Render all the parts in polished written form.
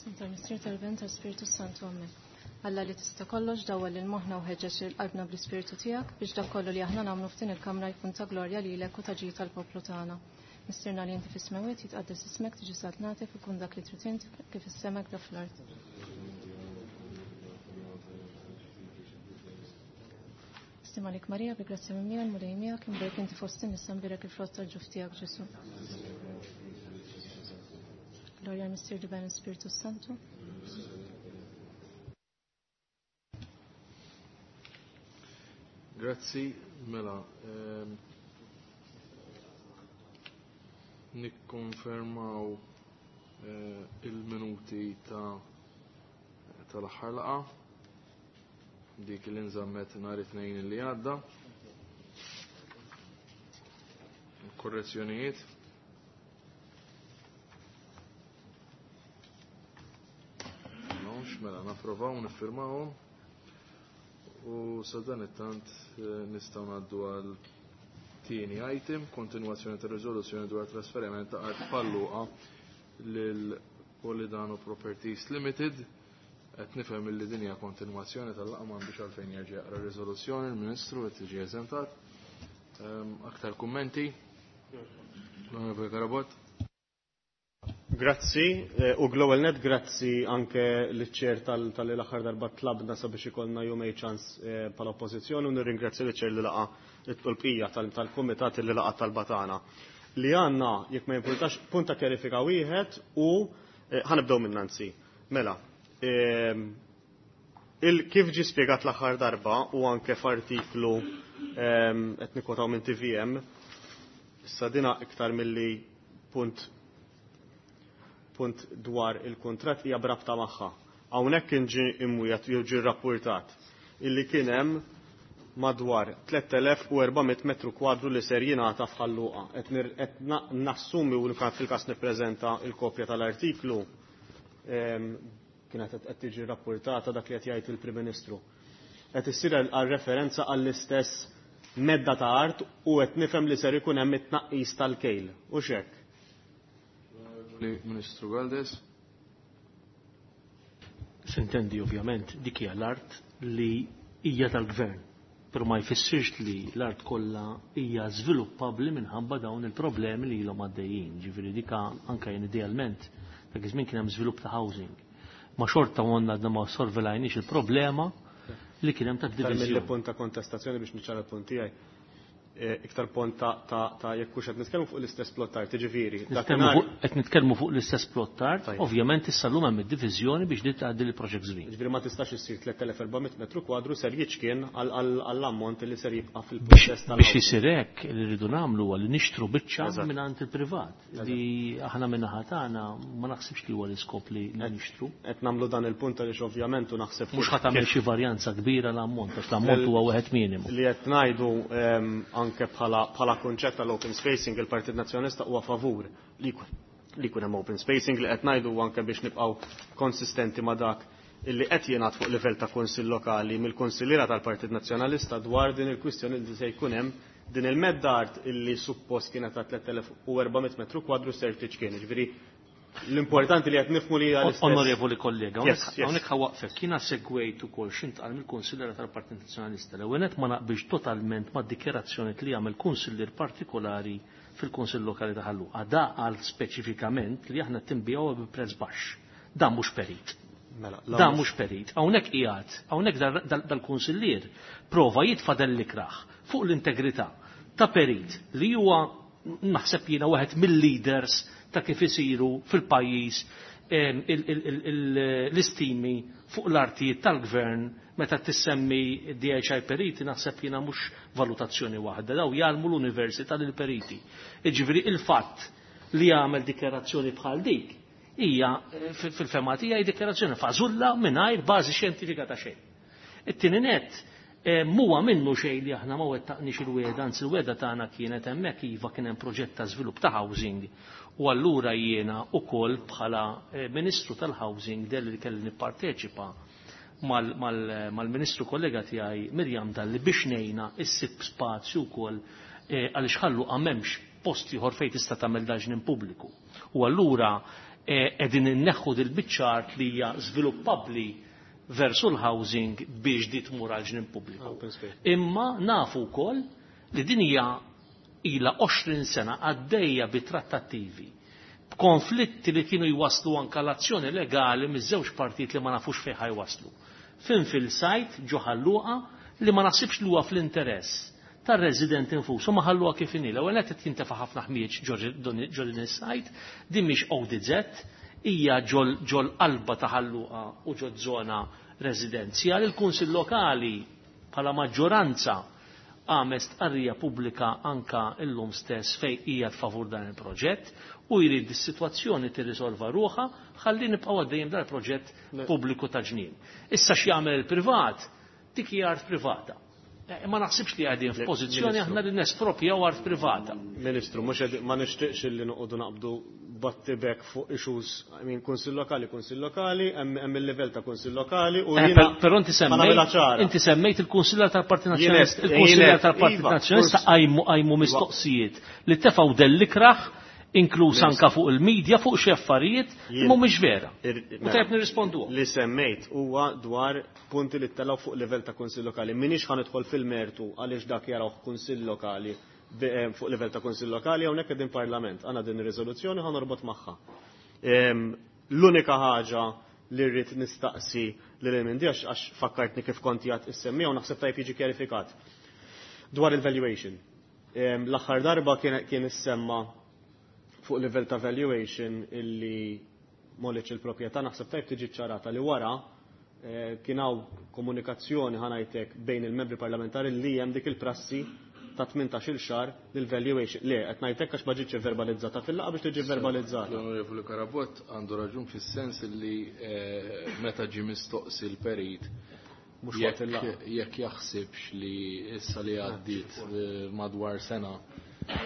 Tal-Missier tal-Ben tal-Spiritu Santu Amen. Alla li tista' kollox dawwal lil moħħna u ħeġġeġ lil qalbna bl-Ispirtu tiegħek biex dak kollu li aħna nagħmlu f'din il-kamra jkun ta' glorja lilek u ta' ġid tal-poplu tagħna. Missierna li inti fis-smewwiet jitqaddes ismek tiġi saltnatek ikun dak li trid int kif is-sema hekk fl-art. Stima lik Marija bi grazzja minn miegħek Mulej miegħek imbierek inti fost in-nisa mbierek il-frott tal-ġuf tiegħek Ġesu. Gloria al Missier di Ben Spiritu Santu. Grazzi, mela. Nikkonfermaw il-minuti ta' tal-aħħar laqgħa dik li nżammet nhar it-tnejn li għadda. Korrezzjonijiet. Nonx, mela napprovaw niffirmawhom. U sa dan it-tant nistgħu ngħaddu għal tieni item, kontinwazzjoni ta' riżoluzzjoni dwar trasferiment ta' art Falluqa lil Polidano Properties Limited. Qed nifhem illi din hija kontinwazzjoni tal-laqgħa m'għandux għalfejn jerġa' jaqra r-riżoluzzjoni, il-Ministru qed tiġi eżentat. Aktar kummenti? L-Onorevoli Carabott. Grazzi, u Global Net grazzi anke liċ-ċer tal-aħħar darba tlabna sabiex ikollna jumej ċans bħala oppożizzjoni u nirringrazzja liċ-ċer li laqa l-bqija tal-kumitat li laqa talba tagħna. Li għandna jekk ma jimpurtax punt ta' kjarifika wieħed u ħanibdew minn Nancy. Mela, kif ġie spjegat l-aħħar darba u anke f'artiklu qed nikkotaw minn TVM, issa dina iktar milli punt dwar il-kuntratt hija brabta magħha. Hawnhekk kien ġie imwiegħed jew ġie rrappurtat illi kien hemm madwar 3400 metru kwadru li ser jingħata f'Ħal Luqa. Qed nassumi u fil-każ nippreżenta l-kopja tal-artiklu kienet qed tiġi rrappurtata dak li qed jgħid il-Prim Ministru. Qed issir għal referenza għall-istess medda ta' art u qed nifhem li ser ikun hemm it-tnaqqis tal-kejl. U x'hekk? Ministru Galdes. Sintendi ovvjament dik hija l-art li hija tal-gvern, però ma jfissirx li l-art kollha hija żviluppabbli minħabba dawn il-problemi li ilhom għaddejjin. Ġifieri dika anke jien idealment dak iż-żmien kien hemm żvilupp ta' housing. Ma xorta għandna għadna ma sorvelajniex il-problema li kien hemm ta' Iktar mill diviżjoni. punt ta' kontestazzjoni biex niċċara l-punt tiegħi. Iktar punt ta' jekk hux qed nitkellmu fuq l-istess plot art, jiġifieri. Qed nitkellmu fuq l-istess plot art, ovvjament issa llum hemm id-diviżjoni biex li tgħaddi l-Project Green. Ġifieri ma tistax issir 3400 metru kwadru ser jiċkien għall-ammont li ser jibqa' fil-proċess tal Biex isir hekk li rridu nagħmlu huwa li nixtru biċċa mingħand il-privat li aħna min-naħa tagħna ma naħsibx li huwa l-iskop li nixtru. Qed nagħmlu dan il-punt għaliex ovvjament u naħseb mhux ħa tagħmel xi varjanza kbira l-ammont, għax l-ammont huwa wieħed minimu. Li qed ngħidu anke bħala kunċett tal-open spacing il-Partit Nazzjonalista huwa favur li jkun hemm open spacing li qed ngħidu anke biex nibqgħu konsistenti ma' dak illi qed jingħad fuq livell ta' kunsill lokali mill-kunsilliera tal-Partit Nazzjonalista dwar din il-kwistjoni li se jkun hemm din il-medda art illi suppost kienet ta' 3400 metru kwadru ser tiċkien. Ġifieri l-importanti li qed nifhmu li hija l-istess. Onorevoli kollega, hawnhekk ħawaqfek, jiena segwejt ukoll x'intqal mill-kunsilliera tal-Partit Nazzjonalista. L-ewwel nett ma naqbilx totalment mad-dikjarazzjoni li jagħmel kunsillier partikolari fil-Kunsill Lokali ta' Ħal Luqa. Da qal speċifikament li aħna tinbigħuha bi prezz baxx. Dan mhux perit. Mela, Dan mhux perit. Hawnhekk qiegħed, hawnhekk dal-kunsillier prova jitfa' dell-ikraħ fuq l-integrità ta' perit li huwa naħseb jiena wieħed mill-leaders ta' kif isiru fil-pajjiż l-istimi fuq l-artijiet tal-gvern meta tissemmi DHI periti naħseb jiena mhux valutazzjoni waħda, daw jgħallmu l-università lil periti. Jiġifieri il-fatt li jagħmel dikjarazzjoni bħal dik hija fil-fema tiegħi dikjarazzjoni fażulla mingħajr bażi xjentifika ta' xejn. It-tieni nett muwa minnu xejn li aħna ma wettaqniex il-weda, anzi il-weda tagħna kienet hemmhekk iva kien hemm proġett ta' żvilupp ta' housing u allura jiena ukoll bħala Ministru tal-Housing delli li kelli nipparteċipa mal-Ministru kollega tiegħi Mirjam Dalli biex ngħinha issib spazju wkoll għaliex Ħal Luqa m'hemmx post ieħor fejn tista' tagħmel daġnin pubbliku. U allura qegħdin inneħħu dil-biċċa art li hija żviluppabbli versu l-housing biex di tmur għal ġnien pubbliku. Imma nafu wkoll li din hija ilha 20 sena għaddejja bi trattattivi b'konflitti li kienu jwaslu anka l-azzjoni legali miż-żewġ partijiet li ma nafux fejn ħajwaslu. Fin fil-sajt ġo Ħal Luqa li ma naħsibx li huwa fl-interess tar-resident infusu ma ħalluha kif inhi. L-ewwel nett qed jintefa' ħafna ħmieġ ġo din is-sajt, din mhix ODZ, hija ġol qalba ta' Ħal Luqa u ġo żona residenzjali. Il-Kunsill Lokali bħala maġġoranza għamel stqarrija pubblika anka illum stess fej hija favur dan il-proġett u jrid is-sitwazzjoni tirrisolva ruħha ħalli nibqgħu għaddejjem dan il-proġett pubbliku ta' ġnien. Issa x'jagħmel il-privat, dik hija art privata. Ma naħsibx li qegħdin f'pożizzjoni aħna li nespropjaw art privata. Ministru, mhux ma nixtieqx li noqogħdu naqbdu battibek fuq issues, I mean, kunsill lokali, kunsill lokali, hemm il-livell ta' kunsill lokali u jiena. Però inti semmejt inti semmejt il-kunsillar tal-Partit Nazzjonalista, il-kunsillar tal-Partit Nazzjonalista qajmu mistoqsijiet li tefgħu dell-ikrah inkluż anka fuq il-medja fuq xi affarijiet li mhumiex vera. U tajjeb nirrisponduhom. Li semmejt huwa dwar punti li ttelgħu fuq livell ta' kunsill lokali. M'iniex ħa nidħol fil-mertu għaliex dak jarawh kunsill lokali fuq livell ta' kunsill lokali, hawnhekk qegħdin parlament. Għandna din ir-riżoluzzjoni ħa norbot magħha. L-unika ħaġa li rrid nistaqsi lil MND għax fakkartni kif kont jgħid issemmija u naħseb tajjeb jiġi kjarifikat. Dwar il-valuation. L-aħħar darba kien issemma fuq livell ta' valuation illi molliċ il-proprjetà, naħseb tajb tiġi ċarata li wara kien hawn komunikazzjoni ħanajtek bejn il-membri parlamentari li hemm dik il-prassi ta' 18-il xahar lil valuation. Le, qed ngħidlek għax ma ġietx verbalizzata fil-laqgħa biex tiġi verbalizzata. L-Onorevoli Carabott għandu raġun fis-sens li meta ġie mistoqsi l-perit Mhux waqt il-laqgħa. jekk jaħsibx li issa li għaddiet madwar sena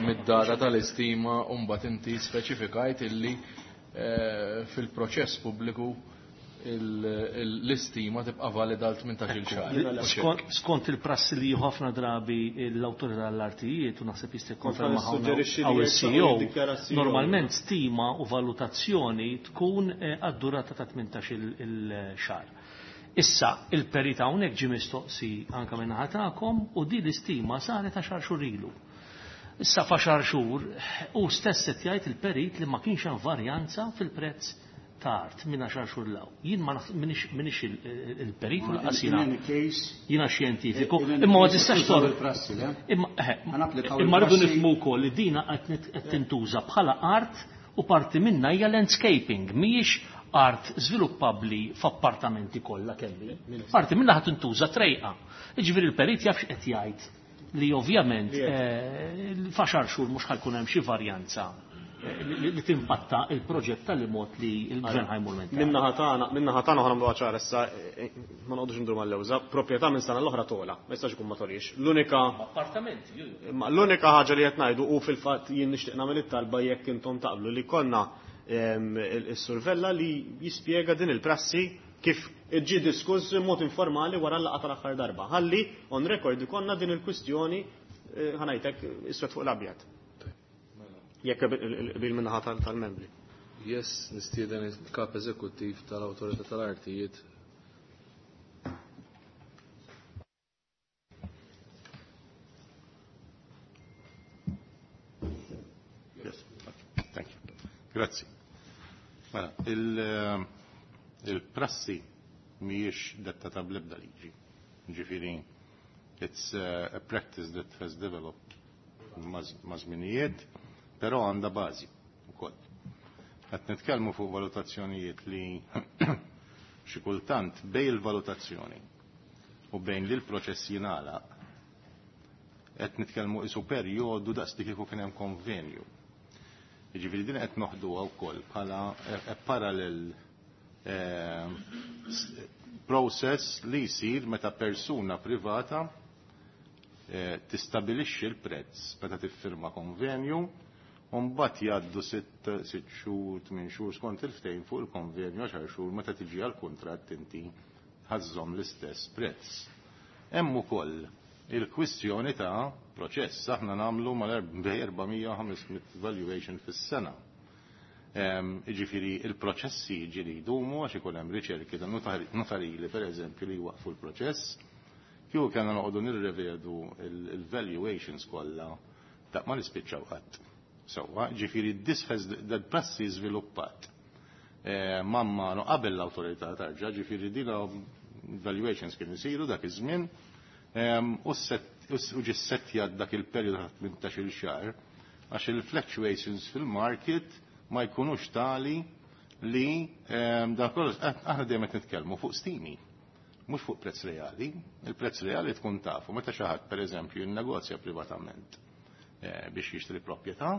mid-data tal-istima u mbagħad inti speċifikajt illi fil-proċess pubbliku l-istima tibqa' valida għal 18-il xahar. Skont il-prassi li ħafna drabi l-awtorità tal-artijiet u naħseb jista' jikkonferma Kont nissuġġerixxi li hawn jekk il-CEO, jiddikjara CEO. normalment stima u valutazzjoni tkun għad-durata ta' 18-il xahar. Issa, il-perit hawnhekk ġie mistoqsi anke minn naħa tagħkom u din l-istima saret għaxar xhur ilu. Issa f'għaxar xhur u stess qed jgħid il-perit li ma kienx hemm varjanza fil-prezz ta' art minn għaxar xhur law. Jien ma minix il-perit u lanqas In any case, jiena xjentifiku, in any imma ma case, tistax użaw tor- il-prassi, le? Imma, Ħanapplikaw imma rridu il-prassi. nifhmu wkoll li dina qed tintuża bħala art u parti minna hija landscaping, mhijiex art żviluppabbli f'appartamenti kollha kelli. Parti minna ħadd tintuża trejqa. Jiġifieri l-perit jaf x'qed jgħid li ovvjament f'għaxar xhur mhux ħajkun hemm xi varjanza li timpatta il-proġett tal-mod li l-gvern ħajmur minn. Minna ħatana, minna ħatana ħa nagħmlu ċara issa, ma noqogħdux ndur mal-lewża, proprjetà minn sena l-oħra tola, ma jistax ikun ma tolix. L-unika appartamenti, ju, ju. Ma l-unika ħaġa li qed ngħidu u fil-fatt jien nixtieq nagħmel it-talba jekk intom taqblu li konna is-survella li jispjega din il-prassi kif ġie diskuss mod informali wara l-laqgħa tal-aħħar darba. Ħalli on record ikonna din il-kwistjoni ħanajtek iswed fuq l-abjad. Jekk bil minnaħa tal-membri. Yes, nistieden il-kap eżekuttiv tal-Awtorità tal-Artijiet. Yes, thank you. Grazzi. Mela, il-prassi mhijiex dettata bl-ebda liġi. Ġifieri, it's a practice that has developed ma' żminijiet, però għandha bażi wkoll. Qed nitkellmu fuq valutazzjonijiet li xi kultant bejn il-valutazzjoni u bejn li l-proċess jingħalaq qed nitkellmu isu perjodu daqs li kieku kien hemm konvenju. Jiġifieri din qed noħduha wkoll bħala parallel process li jsir meta persuna privata tistabilixxi l-prezz meta tiffirma konvenju u mbagħad jgħaddu sitt xhur, tmien xhur skont il-ftehim fuq il-konvenju, għaxar xhur meta tiġi għall-kuntratt inti ħażżomm l-istess prezz. Hemm ukoll il-kwistjoni ta' proċess. Aħna nagħmlu mal-400 500 valuation fis-sena. Jiġifieri il-proċessi ġieli jdumu għax ikun hemm riċerki ta' notarili pereżempju li jwaqfu l-proċess. Kieku kellna noqogħdu nirrevedu il-valuations kollha daq ma nispiċċaw qatt. Sewwa, ġifieri this has that prassi żviluppat. Mamma no qabel l-awtorità tarġa, ġifieri dina valuations kienu jsiru dak iż-żmien u ġie ssettjat dak il-perjodu ta' 18-il xahar għax il-fluctuations fil-market ma jkunux tali li dan kollu aħna dejjem qed nitkellmu fuq stimi, mhux fuq prezz reali. Il-prezz reali tkun tafu meta xi ħadd pereżempju jinnegozja privatament biex jixtri proprjetà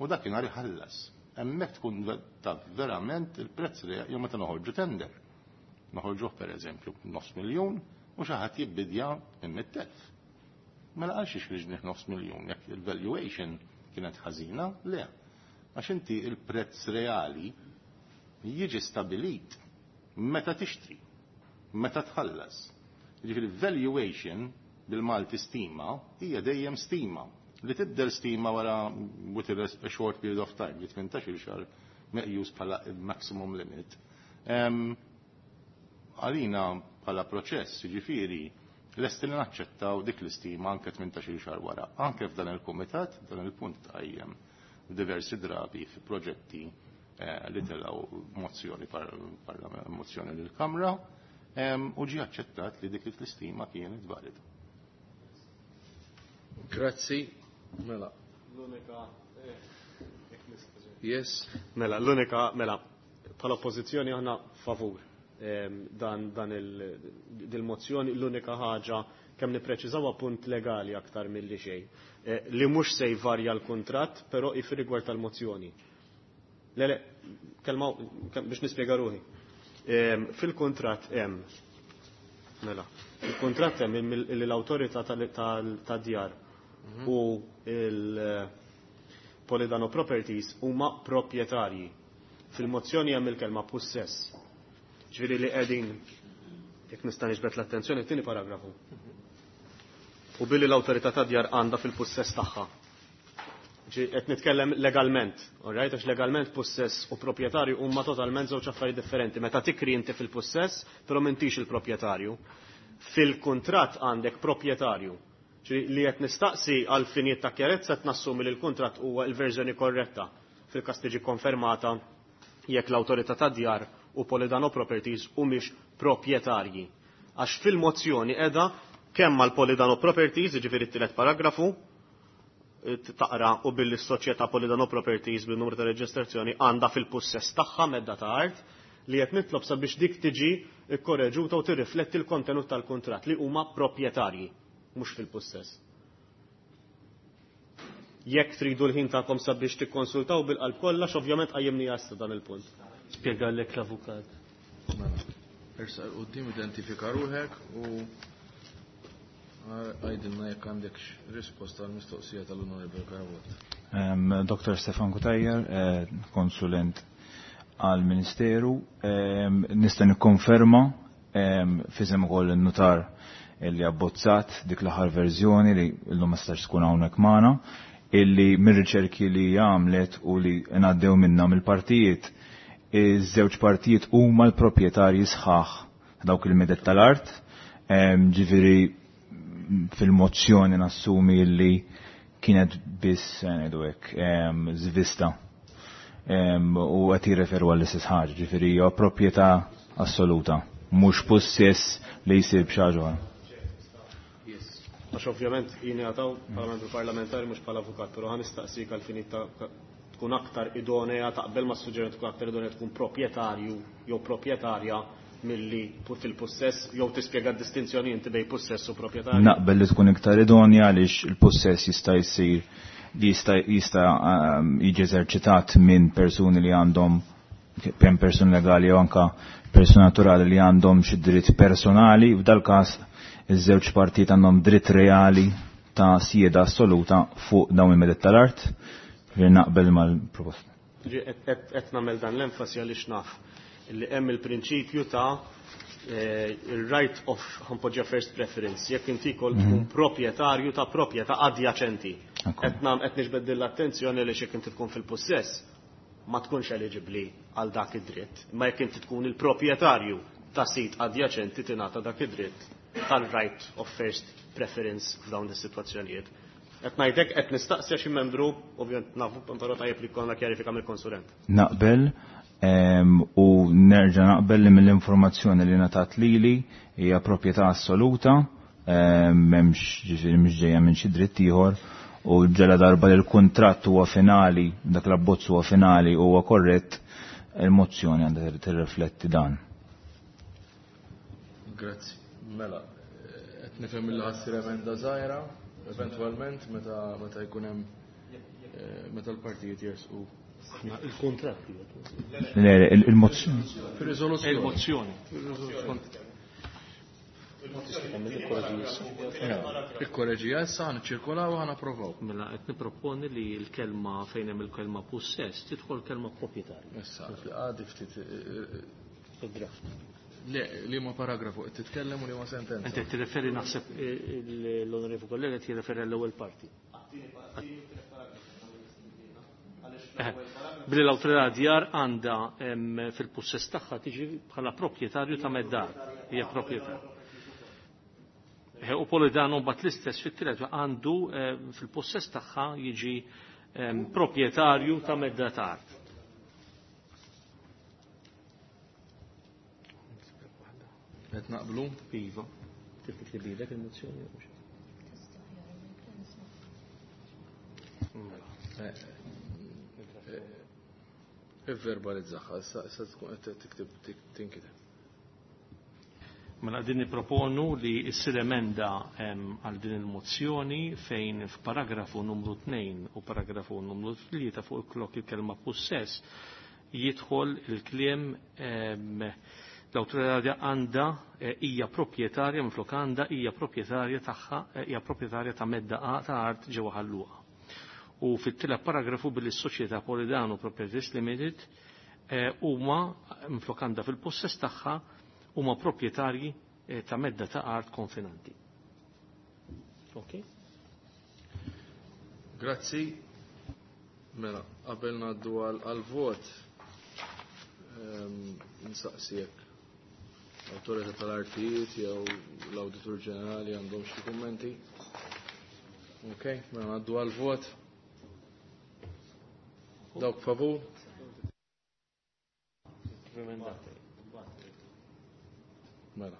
u dakinhar iħallas. Hemmhekk tkun taf verament il-prezz reali jew meta noħorġu tender. Noħorġuh pereżempju nofs miljun u xi ħadd jibbidja minn 100,000. Mela għal xiex ħriġnih nofs miljun jekk il-valuation kienet ħażina? Le. Għax inti il-prezz reali jiġi stabilit meta tixtri, meta tħallas. Jiġifieri valuation bil-Malti stima hija dejjem stima li tibdel stima wara within a short period of time, li 18 xahar meqjus bħala maximum limit. Għalina bħala proċess, jiġifieri, lesti li naċċettaw dik l-istima anke 18 xahar wara. Anke f'dan il-kumitat, dan il-punt tqajjem diversi drabi fi proġetti li telgħu mozzjoni mozzjoni lill-Kamra u ġie aċċettat li dik l-istima kienet valida. Grazzi. Mela. L-unika Yes. Mela, l-unika, mela, bħala oppożizzjoni aħna favur dan dan il-mozzjoni, l-unika ħaġa kemm nippreċiżaw punt legali aktar milli xejn. Li mhux se jvarja l-kuntratt, però fir-rigward tal-mozzjoni. Le, le, kelma biex nispjega ruħi. Fil-kuntratt hemm mela, fil-kuntratt hemm li l-awtorità tad-djar u il-Polidano Properties huma proprjetarji. Fil-mozzjoni hemm il-kelma pussess. Ġifieri li qegħdin jekk nista' niġbed l-attenzjoni t-tieni paragrafu. U billi l-awtorità tad-djar għandha fil-pussess tagħha. Qed nitkellem legalment, all right? Għax legalment pussess u proprjetarju huma totalment żewġ affarijiet differenti. Meta tikri inti fil-pussess, però m'intix il-proprjetarju. Fil-kuntratt għandek proprjetarju. Li qed nistaqsi għal finijiet ta' kjarezza qed nassumi li l-kuntratt huwa l-verżjoni korretta fil-każ tiġi konfermata jekk l-awtorità tad-djar u Polidano Properties humiex proprjetarji. Għax fil-mozzjoni qiegħda kemm mal-Polidano Properties, jiġifieri t-tielet paragrafu, taqra u billi s-soċjetà Polidano Properties bin-numru ta' reġistrazzjoni għandha fil-pussess tagħha medda ta' art li qed nitlob sabiex dik tiġi kkorreġuta u tirrifletti l-kontenut tal-kuntratt li huma proprjetarji, mhux fil-pussess. Jekk tridu l-ħin tagħkom sabiex tikkonsultaw bil-qalb kollha, ovvjament qajjimni issa dan il-punt. Spjegalek l-avukat. Mela, ersaq 'l quddiem, identifika ruħek u għajdilna jekk għandek risposta għal mistoqsija tal-Onorevole Carabott. Dr. Stefan Cutajar, konsulent għal-Ministeru, nista' nikkonferma f'isem ukoll in-nutar illi abbozzat dik l-aħħar verżjoni li llum ma stax tkun hawnhekk magħna, illi mir-riċerki li għamlet u li ngħaddew minna mill-partijiet, iż-żewġ partijiet huma l-proprjetarji sħaħ dawk il-medet tal-art, ġifieri fil-mozzjoni nassumi illi kienet biss ngħidu hekk żvista u qed jirreferu għall-istess ħaġa, ġifieri hija proprjetà assoluta, mhux pussess li jsir b'xi ħaġa oħra. Għax ovvjament jien għataw bħala membru parlamentari mhux bħala avukat, però ħa nistaqsik għal finit ta' tkun aktar idonea taqbel ma' suġġeriment tkun aktar idonea tkun proprjetarju jew proprjetarja milli fil-pussess jew tispjega d-distinzjoni inti bejn pussess u proprjetarju. Naqbel li tkun iktar idonja għaliex il-pussess jista' jsir jista' jiġi eżerċitat minn persuni li għandhom kemm persuni legali jew anka persuni naturali li għandhom xi dritt personali, f'dal każ iż-żewġ partijiet għandhom dritt reali ta' sieda assoluta fuq dawn il-medet tal-art, ġifieri naqbel mal-proposta. Qed nagħmel dan l-enfasi għaliex naf li hemm il-prinċipju ta' il-right of ħanpoġġa first preference, jekk inti kol tkun proprjetarju ta' proprjetà adjaċenti. Qed qed niġbed l-attenzjoni li jekk inti tkun fil-pussess, ma tkunx eliġibbli għal dak id-dritt. Ma jekk inti tkun il-proprjetarju ta' sit adjaċenti tingħata dak id-dritt tal-right of first preference f'dawn is-sitwazzjonijiet. Qed ngħidlek qed nistaqsi xi membru, ovvjament nafu però tajjeb li jkollna kjarifika mill-konsulent. Naqbel u nerġa' naqbel li mill-informazzjoni li ngħatat lili hija proprjetà assoluta, m'hemmx ġifieri mhix ġejja minn xi dritt ieħor u ġela darba li l-kuntratt huwa finali, dak l-abbozz huwa finali u huwa korrett, il-mozzjoni għandha tirrifletti dan. Grazzi. Mela, qed nifhem li ħassir emenda żgħira, eventwalment meta jkun hemm meta l-partijiet jersqu. Il-kuntratt. Le, il-mozzjoni. Fir-riżoluzzjoni. Il-mozzjoni. Ikkoreġija issa ħa niċċirkolaw u ħa napprovaw. Mela qed nipproponi li l-kelma fejn hemm il-kelma possess tidħol kelma proprjetarju. Issa, għadi ftit. Il-draft. Le, li ma paragrafu qed titkellem u li ma sentenza. Inti qed tirreferi naħseb l-onorevu kollega qed jirreferi għall-ewwel parti. Billi l-awtorità djar għandha fil-possess tagħha tiġi bħala proprjetarju ta' meddar, hija proprjetà. U Polidano mbagħad l-istess fit-tielet għandu fil-possess tagħha jiġi proprjetarju ta' medda ta' art. Qed naqblu? Iva. Trid tiktib il-mozzjoni jew mhux? Ivverbalizzaha, issa tkun qed tiktib tinkiteb. Mela din nipproponu li ssir emenda għal din il-mozzjoni fejn f'paragrafu numru 2 u paragrafu numru 3 fuq il-klok il-kelma possess jidħol il-kliem l-awtorità għandha hija proprjetarja minflok għandha hija proprjetarja tagħha hija proprjetarja ta' medda ta' art ġewwa Ħal Luqa. U fit-tielet paragrafu billi s-soċjetà Polidano Properties Limited huma minflok għandha fil-possess tagħha huma proprjetarji ta' medda ta' art konfinanti. Ok? Grazzi. Mela, qabel ngħaddu għal-vot nsaqsijek l-Awtorità tal-Artijiet jew l-Awditur Ġenerali għandhom xi kummenti. Ok, mela ngħaddu għal-vot. Dawk favur? Mela.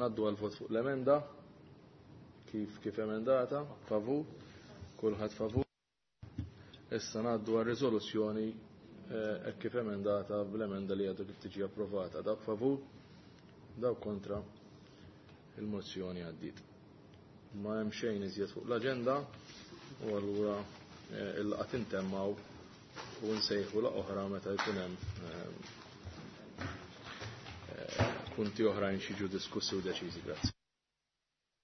Naddu għal vot fuq l-emenda kif emendata, favur, kulħadd favur. Issa ngħaddu għal riżoluzzjoni hekk kif emendata bl-emenda li għadu kif tiġi approvata. Dawk favur, dawk kontra, il-mozzjoni għaddiet. Ma hemm xejn iżjed fuq l-aġenda u allura il-laqgħa tintemmaw u nsejħu la oħra meta jkun hemm punti oħrajn xi jiġu diskussi u deċiżi. Grazzi.